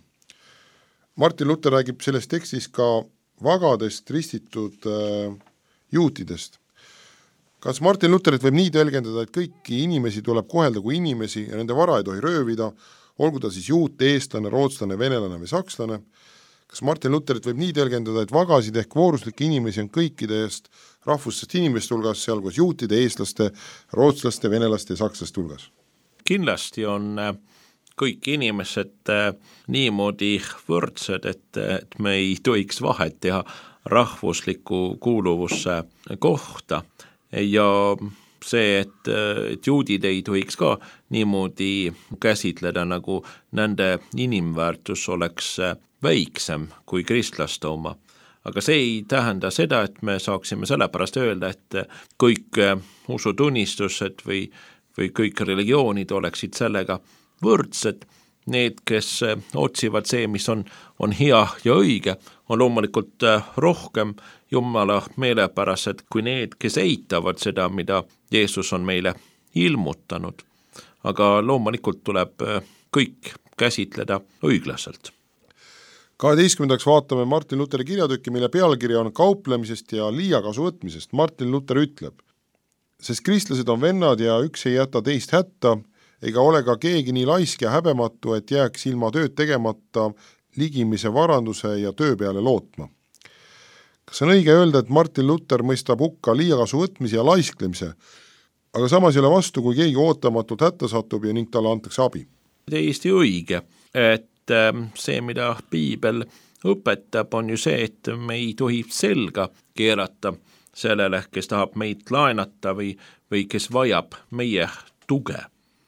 Martin Luther räägib selles tekstis ka vagadest ristitud äh, juutidest. Kas Martin Lutherit võib nii tõlgendada, et kõiki inimesi tuleb kohelda kui inimesi ja nende vara ei tohi röövida, olgu ta siis juut, eestlane, rootslane, venelane või sakslane? Kas Martin Lutherit võib nii tõlgendada, et vagasid ehk vooruslikke inimesi on kõikidest rahvustest inimeste hulgas, sealhulgas juutide, eestlaste, rootslaste, venelaste ja sakslaste hulgas? Kindlasti on kõik inimesed niimoodi võrdsed, et, et me ei tohiks vahet teha rahvusliku kuuluvusse kohta ja see, et, et juudid ei tohiks ka niimoodi käsitleda, nagu nende inimväärtus oleks väiksem kui kristlaste oma. Aga see ei tähenda seda, et me saaksime sellepärast öelda, et kõik usutunnistused või või kõik religioonid oleksid sellega võrdsed. Need, kes otsivad see, mis on, on hea ja õige, on loomulikult rohkem Jumala meelepärased kui need, kes eitavad seda, mida Jeesus on meile ilmutanud. Aga loomulikult tuleb kõik käsitleda õiglaselt. kaheteistkümnendaks vaatame Martin Lutheri kirjatükki, mille pealkiri on kauplemisest ja liiakasu võtmisest. Martin Luther ütleb, sest kristlased on vennad ja üks ei jäta teist hätta, ega ole ka keegi nii laisk ja häbematu, et jääks ilma tööd tegemata ligimise varanduse ja töö peale lootma. Kas on õige öelda, et Martin Luther mõistab hukka liiakasu võtmise ja laisklemise, aga samas ei ole vastu, kui keegi ootamatult hätta satub ja ning talle antakse abi? Täiesti õige, et see, mida piibel õpetab, on ju see, et me ei tohi selga keerata sellele, kes tahab meid laenata või, või kes vajab meie tuge.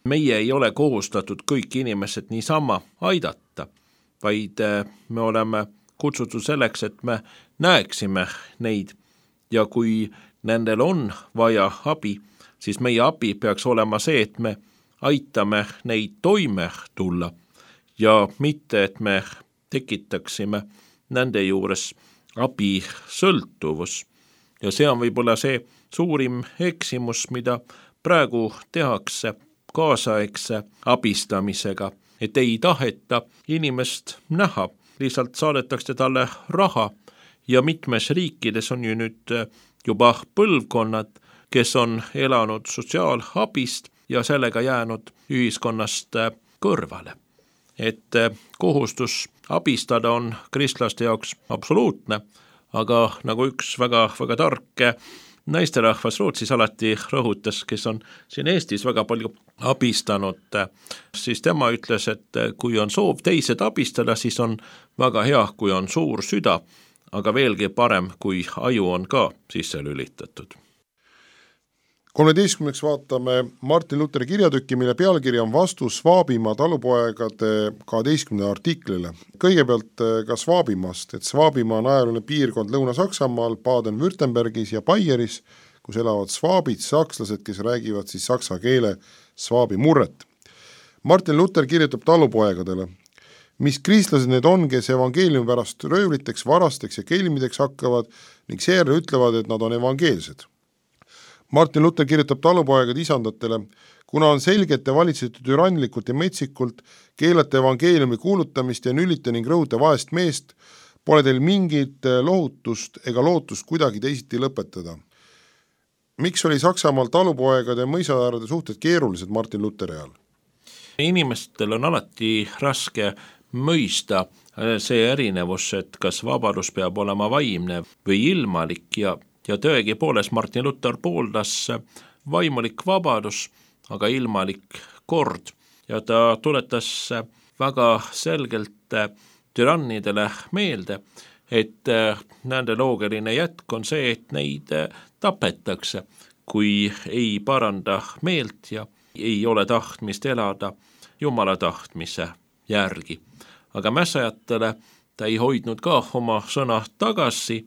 Meie ei ole kohustatud kõik inimesed niisama aidata, vaid me oleme kutsutud selleks, et me näeksime neid ja kui nendel on vaja abi, siis meie abi peaks olema see, et me aitame neid toime tulla ja mitte, et me tekitaksime nende juures abi sõltuvus. Ja see on võib-olla see suurim eksimus, mida praegu tehakse kaasaegse abistamisega, et ei taheta inimest näha, lihtsalt saadetakse talle raha ja mitmes riikides on ju nüüd juba põlvkonnad, kes on elanud sotsiaalabist ja sellega jäänud ühiskonnast kõrvale. Et kohustus abistada on kristlaste jaoks absoluutne, aga nagu üks väga, väga tark naisterahvas Rootsis alati rõhutas, kes on siin Eestis väga palju abistanud, siis tema ütles, et kui on soov teised abistada, siis on väga hea, kui on suur süda, aga veelgi parem, kui aju on ka sisse lülitatud. kolmeteistkümneks vaatame Martin Lutheri kirjatükki, mille pealkiri on vastus Svaabimaa talupoegade kaheteistkümnenda artiklile. Kõigepealt ka Svaabimaast, et Svaabimaa on ajaluine piirkond Lõuna-Saksamaal, Baden-Württembergis ja Baieris, kus elavad svaabid, sakslased, kes räägivad siis saksa keele svaabi murret. Martin Luther kirjutab talupoegadele, mis kristlased need on, kes evangeeliumi pärast röövliteks, varasteks ja kelmideks hakkavad ning seejärel ütlevad, et nad on evangeelsed. Martin Luther kirjutab talupoegad isandatele, kuna on selgete valitsetud türanlikult ja metsikult, keelate evangeeliumi kuulutamist ja nülite ning rõhuta vaest meest, pole teil mingit lohutust ega lootust kuidagi teisiti lõpetada. Miks oli Saksamaal talupoegade ja mõisaäärade suhted keerulised Martin Lutheri ajal? Inimestel on alati raske mõista see erinevus, et kas vabadus peab olema vaimne või ilmalik ja Ja tõegi poolest Martin Luther pooldas vaimulik vabadus, aga ilmalik kord. Ja ta tuletas väga selgelt türannidele meelde, et nende loogiline jätk on see, et neid tapetakse, kui ei paranda meelt ja ei ole tahtmist elada Jumala tahtmise järgi. Aga mässajatele ta ei hoidnud ka oma sõna tagasi,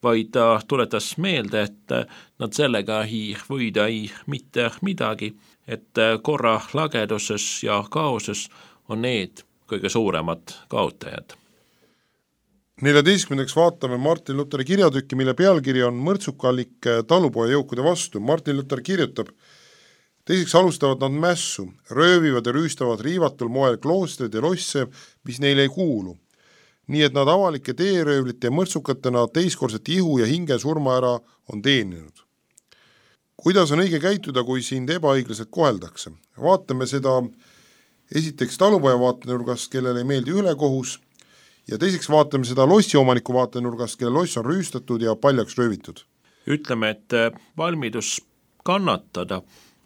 vaid ta tuletas meelde, et nad sellega ei võida ei mitte midagi, et korra lageduses ja kaoses on need kõige suuremad kaotajad. neljateistkümnendaks vaatame Martin Lutheri kirjatükki, mille pealkiri on Mõrtsukalik talupoja jõukude vastu. Martin Luther kirjutab, teiseks alustavad nad mässu, röövivad ja rüüstavad riivatul moel kloostrid ja losse, mis neile ei kuulu. Nii et nad avalike teeröövlite ja mõrtsukatena teiskorset ihu ja hinge surma ära on teeninud. Kuidas on õige käituda, kui sind ebaõiglaselt koheldakse? Vaatame seda esiteks talupoja vaatenurgast, kellele ei meeldi ülekohus, ja teiseks vaatame seda lossiomaniku vaatenurgast, kelle loss on rüüstatud ja paljaks röövitud. Ütleme, et valmidus kannatada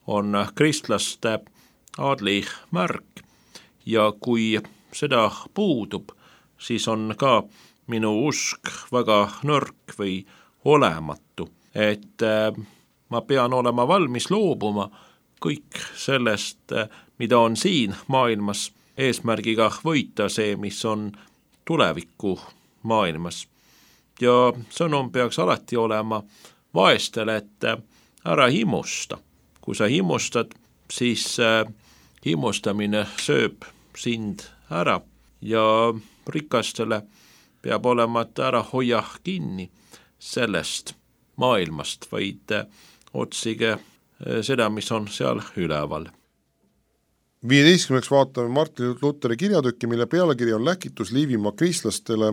on kristlaste aadli märk ja kui seda puudub, siis on ka minu usk väga nõrk või olematu, et ma pean olema valmis loobuma kõik sellest, mida on siin maailmas, eesmärgiga võita see, mis on tuleviku maailmas. Ja sõnum peaks alati olema vaestele, et ära himusta. Kui sa himustad, siis himustamine sööb sind ära ja rikastele peab olema, et ära hoia kinni sellest maailmast, vaid otsige seda, mis on seal üleval. viieteistkümneks vaatame Martin Lutheri kirjatükki, mille pealkiri on Läkitus Liivimaa kristlastele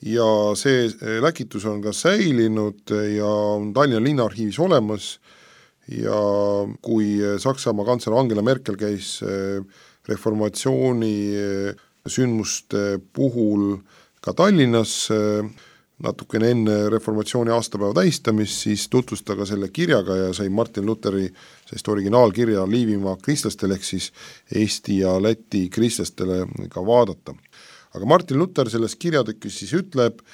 ja see läkitus on ka säilinud ja on Tallinna linnaarhiivis olemas ja kui Saksamaa kantsler Angela Merkel käis reformatsiooni sündmuste puhul ka Tallinnas natukene enne reformatsiooni aastapäeva tähistamist, siis tutvusta ka selle kirjaga ja sai Martin Lutheri sest originaalkirja Liivimaa kristlastele ehk siis Eesti ja Läti kristlastele ka vaadata. Aga Martin Luther selles kirjatükis siis ütleb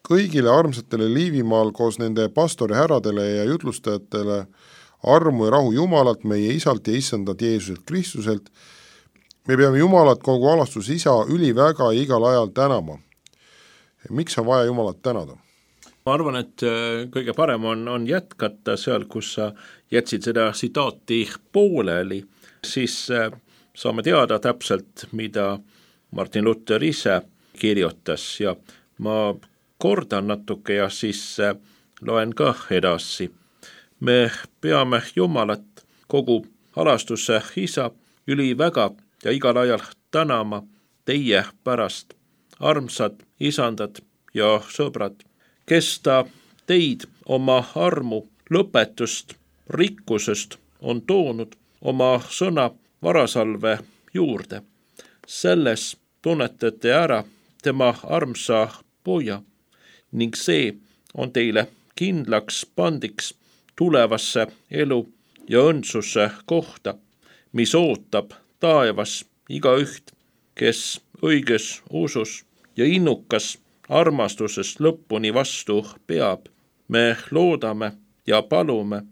kõigile armsatele Liivimaal koos nende pastori häradele ja jutlustajatele armu ja rahu Jumalalt, meie isalt ja issandat Jeesuselt Kristuselt. Me peame Jumalat kogu alastus isa üliväga ja igal ajal tänama. Miks on vaja Jumalat tänada? Ma arvan, et kõige parem on, on jätkata seal, kus sa jätsid seda sitaati pooleli, siis saame teada täpselt, mida Martin Luther ise kirjutas ja ma kordan natuke ja siis loen ka edasi. Me peame Jumalat kogu alastuse isa üliväga ja igal ajal tänama teie pärast, armsad isandad ja sõbrad, kes ta teid oma armu lõpetust rikkusest on toonud oma sõna varasalve juurde. Selles tunnetate ära tema armsa poja ning see on teile kindlaks pandiks tulevasse elu ja õndsuse kohta, mis ootab taevas igaüht, kes õiges usus ja innukas armastusest lõpuni vastu peab. Me loodame ja palume,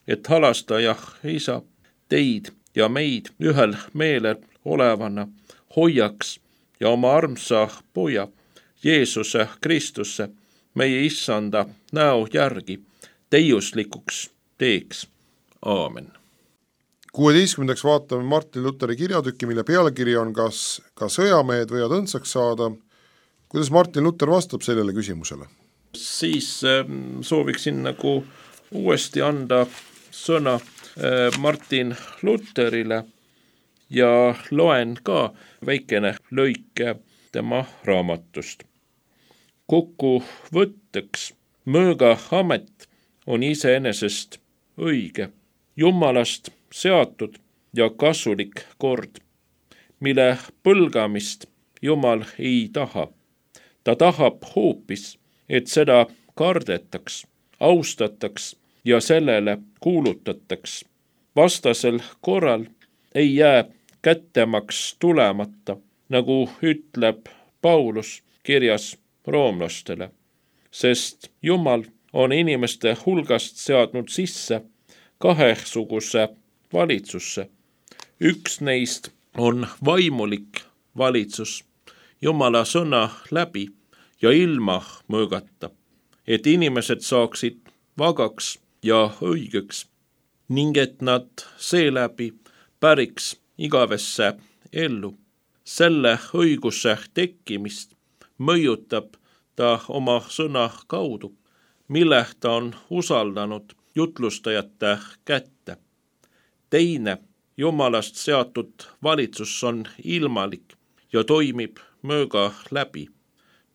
et halastaja isa teid ja meid ühel meelel olevana hoiaks ja oma armsa poja Jeesuse Kristuse, meie issanda näo järgi täiuslikuks teeks. Aamen. kuueteistkümnendaks vaatame Martin Luteri kirjatükki, mille pealkiri on kas ka sõjamehed võivad õndsaks saada. Kuidas Martin Luther vastab sellele küsimusele? Siis äh, sooviksin nagu uuesti anda sõna äh, Martin Lutherile ja loen ka väikene lõike tema raamatust. Kokkuvõtteks mõõga amet on iseenesest õige, Jumalast seatud ja kasulik kord, mille põlgamist Jumal ei taha. Ta tahab hoopis, et seda kardetaks, austataks ja sellele kuulutataks. Vastasel korral ei jää kättemaks tulemata, nagu ütleb Paulus kirjas roomlastele, sest Jumal on inimeste hulgast seadnud sisse kahesuguse valitsusse. Üks neist on vaimulik valitsus Jumala sõna läbi ja ilma mõõgata, et inimesed saaksid vagaks ja õigeks ning et nad seeläbi päriks igavesse ellu. Selle õiguse tekkimist mõjutab ta oma sõna kaudu, mille ta on usaldanud jutlustajate kätte. Teine Jumalast seatud valitsus on ilmalik ja toimib mõõga läbi.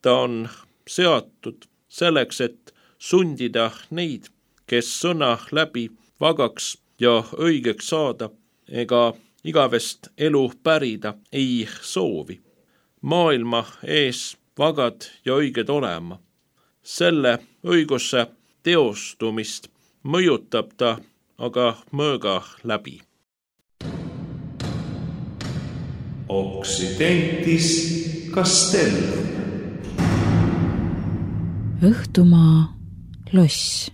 Ta on seatud selleks, et sundida neid, kes sõna läbi vagaks ja õigeks saada ega igavest elu pärida ei soovi. Maailma ees vagad ja õiged olema. Selle õiguse teostumist mõjutab ta aga mõõga läbi. Occidentis Castellum. Õhtumaa loss.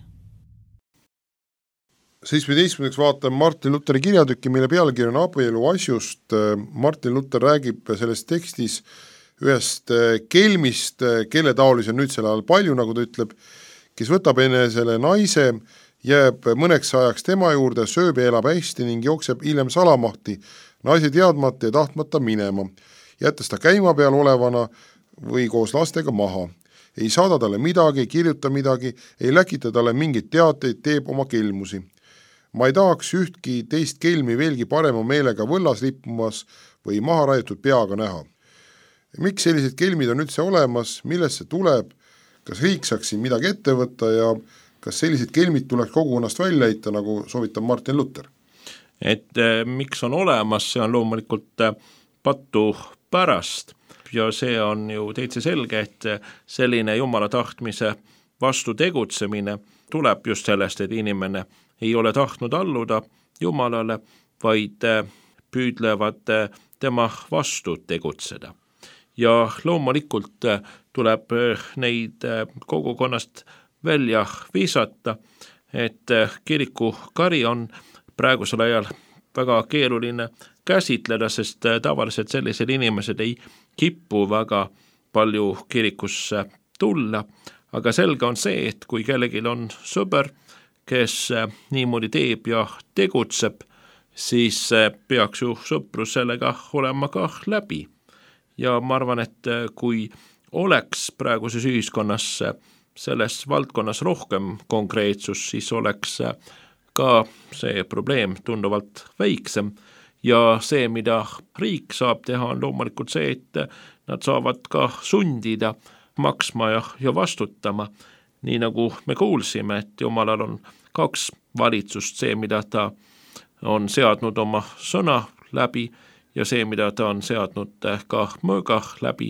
seitsmeteistkümnendaks vaatame Martin Lutheri kirjatükki, mille pealkiri on abielu asjust. Martin Luther räägib selles tekstis ühest kelmist, kelle taolisi on nüüd selle ajal palju, nagu ta ütleb, kes võtab enesele naise, jääb mõneks ajaks tema juurde, sööb ja elab hästi ning jookseb hiljem salamahti, naise teadmata ja tahtmata minema, jättes ta käima peal olevana või koos lastega maha. Ei saada talle midagi, ei kirjuta midagi, ei läkita talle mingit teateid, teeb oma kelmusi. Ma ei tahaks ühtki teist kelmi veelgi parema meelega võllas lippumas või maha raiutud peaga näha. Miks sellised kelmid on üldse olemas, millest see tuleb, kas riik saaks siin midagi ette võtta ja kas sellised kelmid tuleks kogukonnast välja heita, nagu soovitab Martin Luther? Et eh, miks on olemas, see on loomulikult eh, patu pärast ja see on ju täitsa selge, et selline Jumala tahtmise vastu tegutsemine tuleb just sellest, et inimene ei ole tahtnud alluda Jumalale, vaid eh, püüdlevad eh, tema vastu tegutseda. Ja loomulikult eh, tuleb eh, neid eh, kogukonnast välja visata, et eh, kiriku kari on praegusel ajal väga keeruline käsitleda, sest tavaliselt sellised inimesed ei kipu väga palju kirikusse tulla, aga selge on see, et kui kellelgi on sõber, kes niimoodi teeb ja tegutseb, siis peaks ju sõprus sellega olema ka läbi. Ja ma arvan, et kui oleks praeguses ühiskonnas selles valdkonnas rohkem konkreetsus, siis oleks ka see probleem tunduvalt väiksem ja see, mida riik saab teha, on loomulikult see, et nad saavad ka sundida maksma ja, ja vastutama, nii nagu me kuulsime, et Jumalal on kaks valitsust, see, mida ta on seadnud oma sõna läbi ja see, mida ta on seadnud ka mõõga läbi,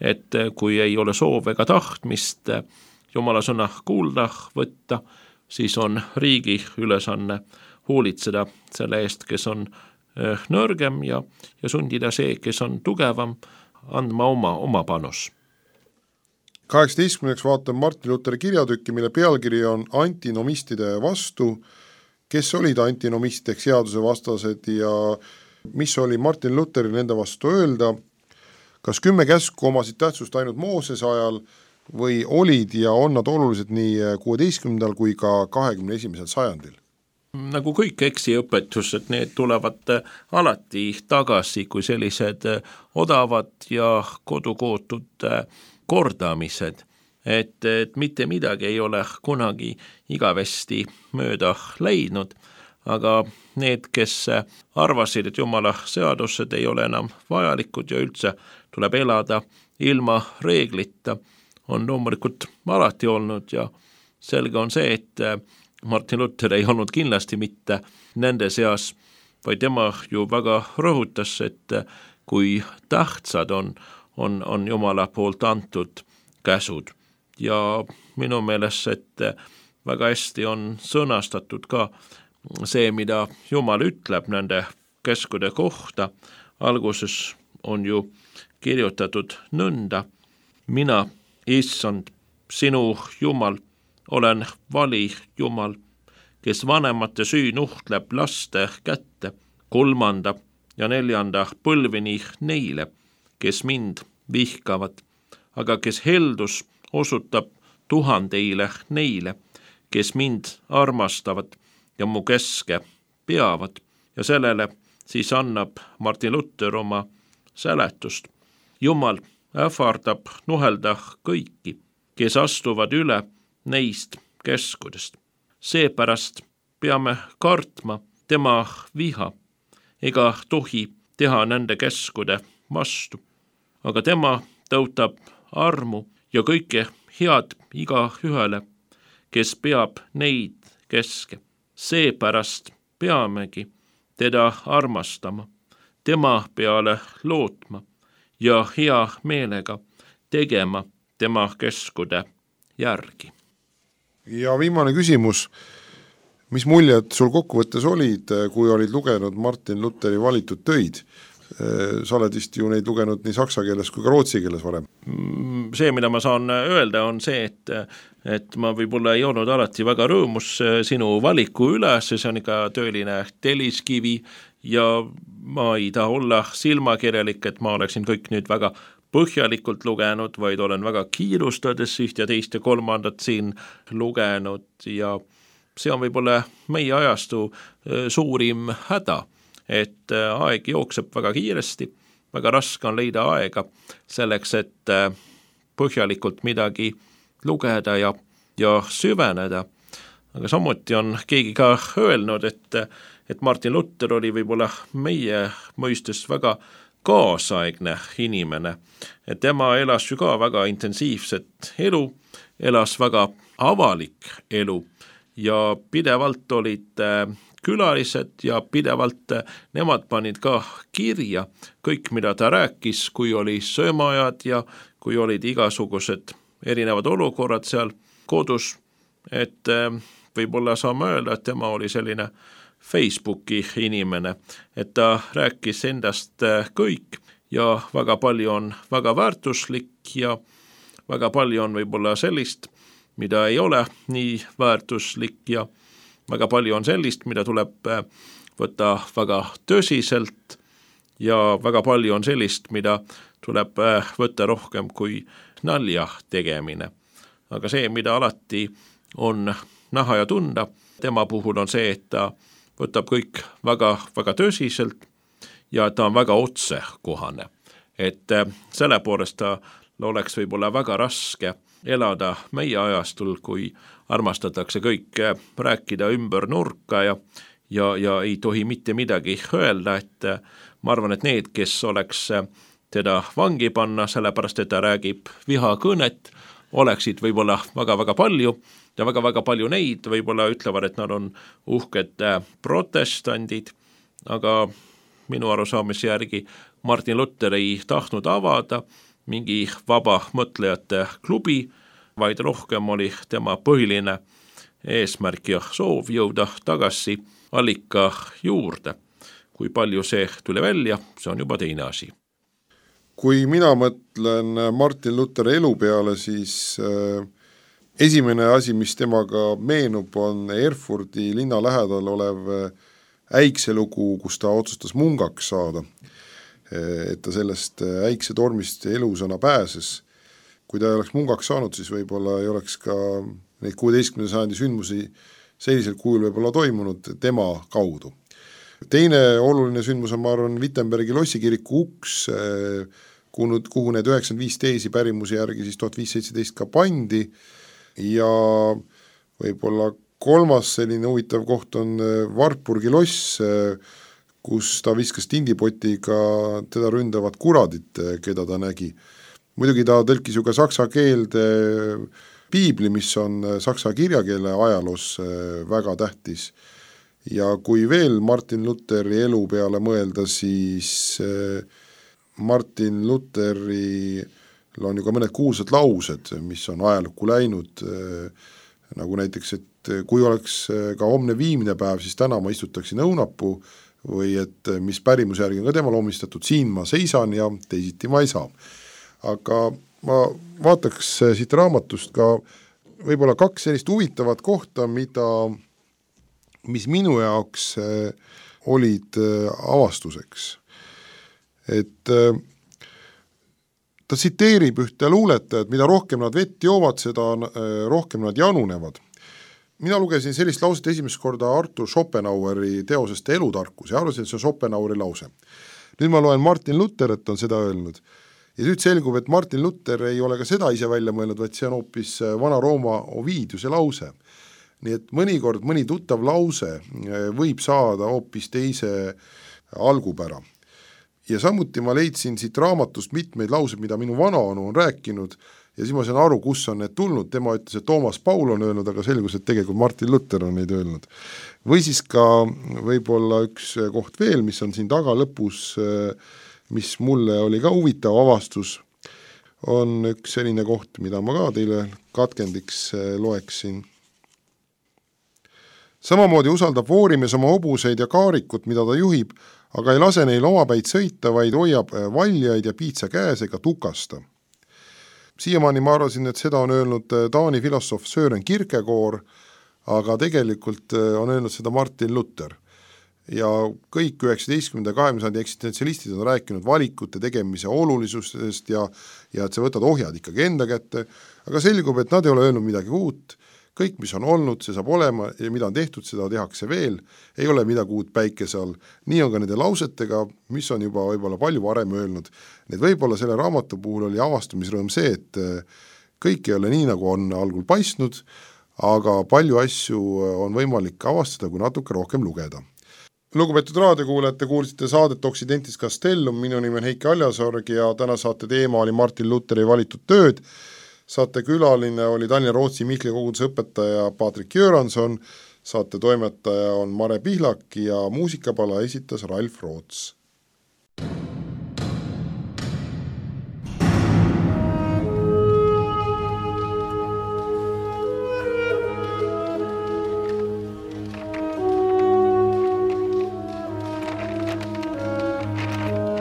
et kui ei ole soov ega tahtmist Jumala sõna kuulda võtta, siis on riigi ülesanne hoolitseda selle eest, kes on nõrgem ja, ja sundida see, kes on tugevam, andma oma, oma panus. kaheksateistkümneks vaatame Martin Lutheri kirjatükki, mille pealkiri on antinomistide vastu. kes olid antinomist ehk seadusevastased ja mis oli Martin Lutheril nende vastu öelda, kas kümme käsku omasid tähtsust ainult Moosese ajal või olid ja on nad olulised nii kuueteistkümnendal kui ka kahekümne esimesel sajandil? Nagu kõik eksiõpetused, need tulevad alati tagasi kui sellised odavad ja kodukootud kordamised, et, et mitte midagi ei ole kunagi igavesti mööda leidnud, aga need, kes arvasid, et Jumala seadused ei ole enam vajalikud ja üldse tuleb elada ilma reeglita, on loomulikult alati olnud ja selge on see, et Martin Luther ei olnud kindlasti mitte nende seas, vaid tema ju väga rõhutas, et kui tähtsad on, on, on Jumala poolt antud käsud. Ja minu meelest, et väga hästi on sõnastatud ka see, mida Jumal ütleb nende käskude kohta. Alguses on ju kirjutatud nõnda: mina, issand, sinu Jumal, olen vali Jumal, kes vanemate süü nuhtleb laste kätte, kolmanda ja neljanda põlvini neile, kes mind vihkavad, aga kes heldus osutab tuhandeile neile, kes mind armastavad ja mu käske peavad. Ja sellele siis annab Martin Luther oma seletust. Jumal ähvardab nuhelda kõiki, kes astuvad üle neist käskudest. Seepärast peame kartma tema viha, ega tohi teha nende käskude vastu. Aga tema tõutab armu ja kõike head iga ühele, kes peab neid käske. Seepärast peamegi teda armastama, tema peale lootma ja hea meelega tegema tema käskude järgi. Ja viimane küsimus, mis muljed sul kokkuvõttes olid, kui olid lugenud Martin Lutheri valitud töid? Sa oled vist ju neid lugenud nii saksa keeles kui ka rootsi keeles varem. See, mida ma saan öelda, on see, et, et ma võib-olla ei olnud alati väga rõõmus sinu valiku üle, see on ikka tööline telliskivi ja ma ei taha olla silmakirjalik, et ma oleksin kõik nüüd väga põhjalikult lugenud, vaid olen väga kiirustades üht ja teist ja kolmandat siin lugenud ja see on võib-olla meie ajastu suurim häda, et aeg jookseb väga kiiresti, väga raske on leida aega selleks, et põhjalikult midagi lugeda ja, ja süveneda. Aga samuti on keegi ka öelnud, et, et Martin Luther oli võib-olla meie mõistes väga kaasaegne inimene, et tema elas ju ka väga intensiivset elu, elas väga avalik elu ja pidevalt olid külalised ja pidevalt nemad panid ka kirja kõik, mida ta rääkis, kui oli söömaajad ja kui olid igasugused erinevad olukorrad seal kodus, et võib-olla saame öelda, et tema oli selline Facebooki inimene, et ta rääkis endast kõik ja väga palju on väga väärtuslik ja väga palju on võib-olla sellist, mida ei ole nii väärtuslik ja väga palju on sellist, mida tuleb võtta väga tõsiselt ja väga palju on sellist, mida tuleb võtta rohkem kui nalja tegemine. Aga see, mida alati on näha ja tunda, tema puhul on see, et ta võtab kõik väga, väga tõsiselt ja ta on väga otsekohane. Et selle poolest ta oleks võib-olla väga raske elada meie ajastul, kui armastatakse kõik rääkida ümber nurka ja, ja, ja ei tohi mitte midagi öelda, et ma arvan, et need, kes oleks teda vangi panna, sellepärast, et ta räägib vihakõnet, oleksid võib-olla väga-väga palju ja väga-väga palju neid võib-olla ütlevad, et nad on uhked protestandid, aga minu arusaamise järgi Martin Luther ei tahtnud avada mingi vaba mõtlejate klubi, vaid rohkem oli tema põhiline eesmärk ja soov jõuda tagasi allika juurde. Kui palju see tuli välja, see on juba teine asi. Kui mina mõtlen Martin Lutheri elu peale, siis esimene asi, mis temaga meenub, on Erfurdi linna lähedal olev äikselugu, kus ta otsustas mungaks saada, et ta sellest äiksetormist elusana pääses. Kui ta ei oleks mungaks saanud, siis võib-olla ei oleks ka neid kuueteistkümnenda sajandi sündmusi sellisel kujul võib-olla toimunud tema kaudu. Teine oluline sündmus on, ma arvan, Wittenbergi lossikiriku uks, kuhu, kuhu need üheksakümmend viis teisi pärimusi järgi siis tuhat viissada seitseteist ka pandi ja võib-olla kolmas selline huvitav koht on Wartburgi loss, kus ta viskas tindipotiga teda ründavad kuradit, keda ta nägi. Muidugi ta tõlkis ju ka saksa keelde piibli, mis on saksa kirjakeele ajaloos väga tähtis. Ja kui veel Martin Lutheri elu peale mõelda, siis Martin Lutheri on ju ka mõned kuulsad laused, mis on ajalukku läinud, nagu näiteks, et kui oleks ka homne viimne päev, siis täna ma istutaksin õunapuu või et mis pärimuse järgi on ka temal omistatud, siin ma seisan ja teisiti ma ei saa. Aga ma vaataks siit raamatust ka võib-olla kaks sellist huvitavat kohta, mida, mis minu jaoks olid avastuseks. Et ta tsiteerib ühte luuletajat, mida rohkem nad vett joovad, seda rohkem nad janunevad. Mina lugesin sellist lauset esimest korda Arthur Schopenhaueri teosest Elutarkus ja arvasin, et see on Schopenhaueri lause. Nüüd ma loen Martin Luther, et on seda öelnud. Ja nüüd selgub, et Martin Luther ei ole ka seda ise välja mõelnud, vaid see on hoopis Vana-Rooma Ovidiuse lause. Nii et mõnikord mõni tuttav lause võib saada hoopis teise algupära. Ja samuti ma leidsin siit raamatust mitmeid lauseid, mida minu vanaonu on rääkinud ja siis ma saan aru, kus on need tulnud. Tema ütles, et Toomas Paul on öelnud, aga selgus, et tegelikult Martin Luther on neid öelnud. Või siis ka võib-olla üks koht veel, mis on siin taga lõpus, mis mulle oli ka huvitav avastus, on üks selline koht, mida ma ka teile katkendiks loeksin. Samamoodi usaldab voorimees oma hobuseid ja kaarikut, mida ta juhib, aga ei lase neil omapäid sõita, vaid hoiab valjaid ja piitsa käes ega tukasta. Siiamaani ma arvasin, et seda on öelnud Taani filosoof Søren Kierkegaard, aga tegelikult on öelnud seda Martin Luther. Ja kõik üheksateistkümnenda ja kahekümnenda sajandi eksistentsialistid on rääkinud valikute tegemise olulisusest ja, ja et sa võtad ohjad ikkagi enda kätte, aga selgub, et nad ei ole öelnud midagi uut, kõik, mis on olnud, see saab olema ja mida on tehtud, seda tehakse veel, ei ole midagi uut päikese all. Nii on ka nende lausetega, mis on juba võib-olla palju varem öelnud. Need võib-olla selle raamatu puhul oli avastumisrõõm see, et kõik ei ole nii, nagu on algul paistnud, aga palju asju on võimalik avastada, kui natuke rohkem lugeda. Lugupeetud raadiokuulajate, kuulsite saadet Occidentis Castellum, minu nimi on Heiki Aljasorg ja täna saate teema oli Martin Lutheri valitud tööd. Saate külaline oli Tallinna Rootsi Mihkli koguduse õpetaja Patrik Jöranson, saate toimetaja on Mare Pihlak ja muusikapala esitas Ralf Roots.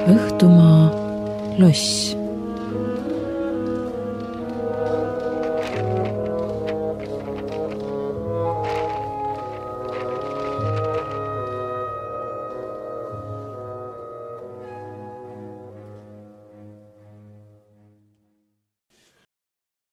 Õhtumaa loss.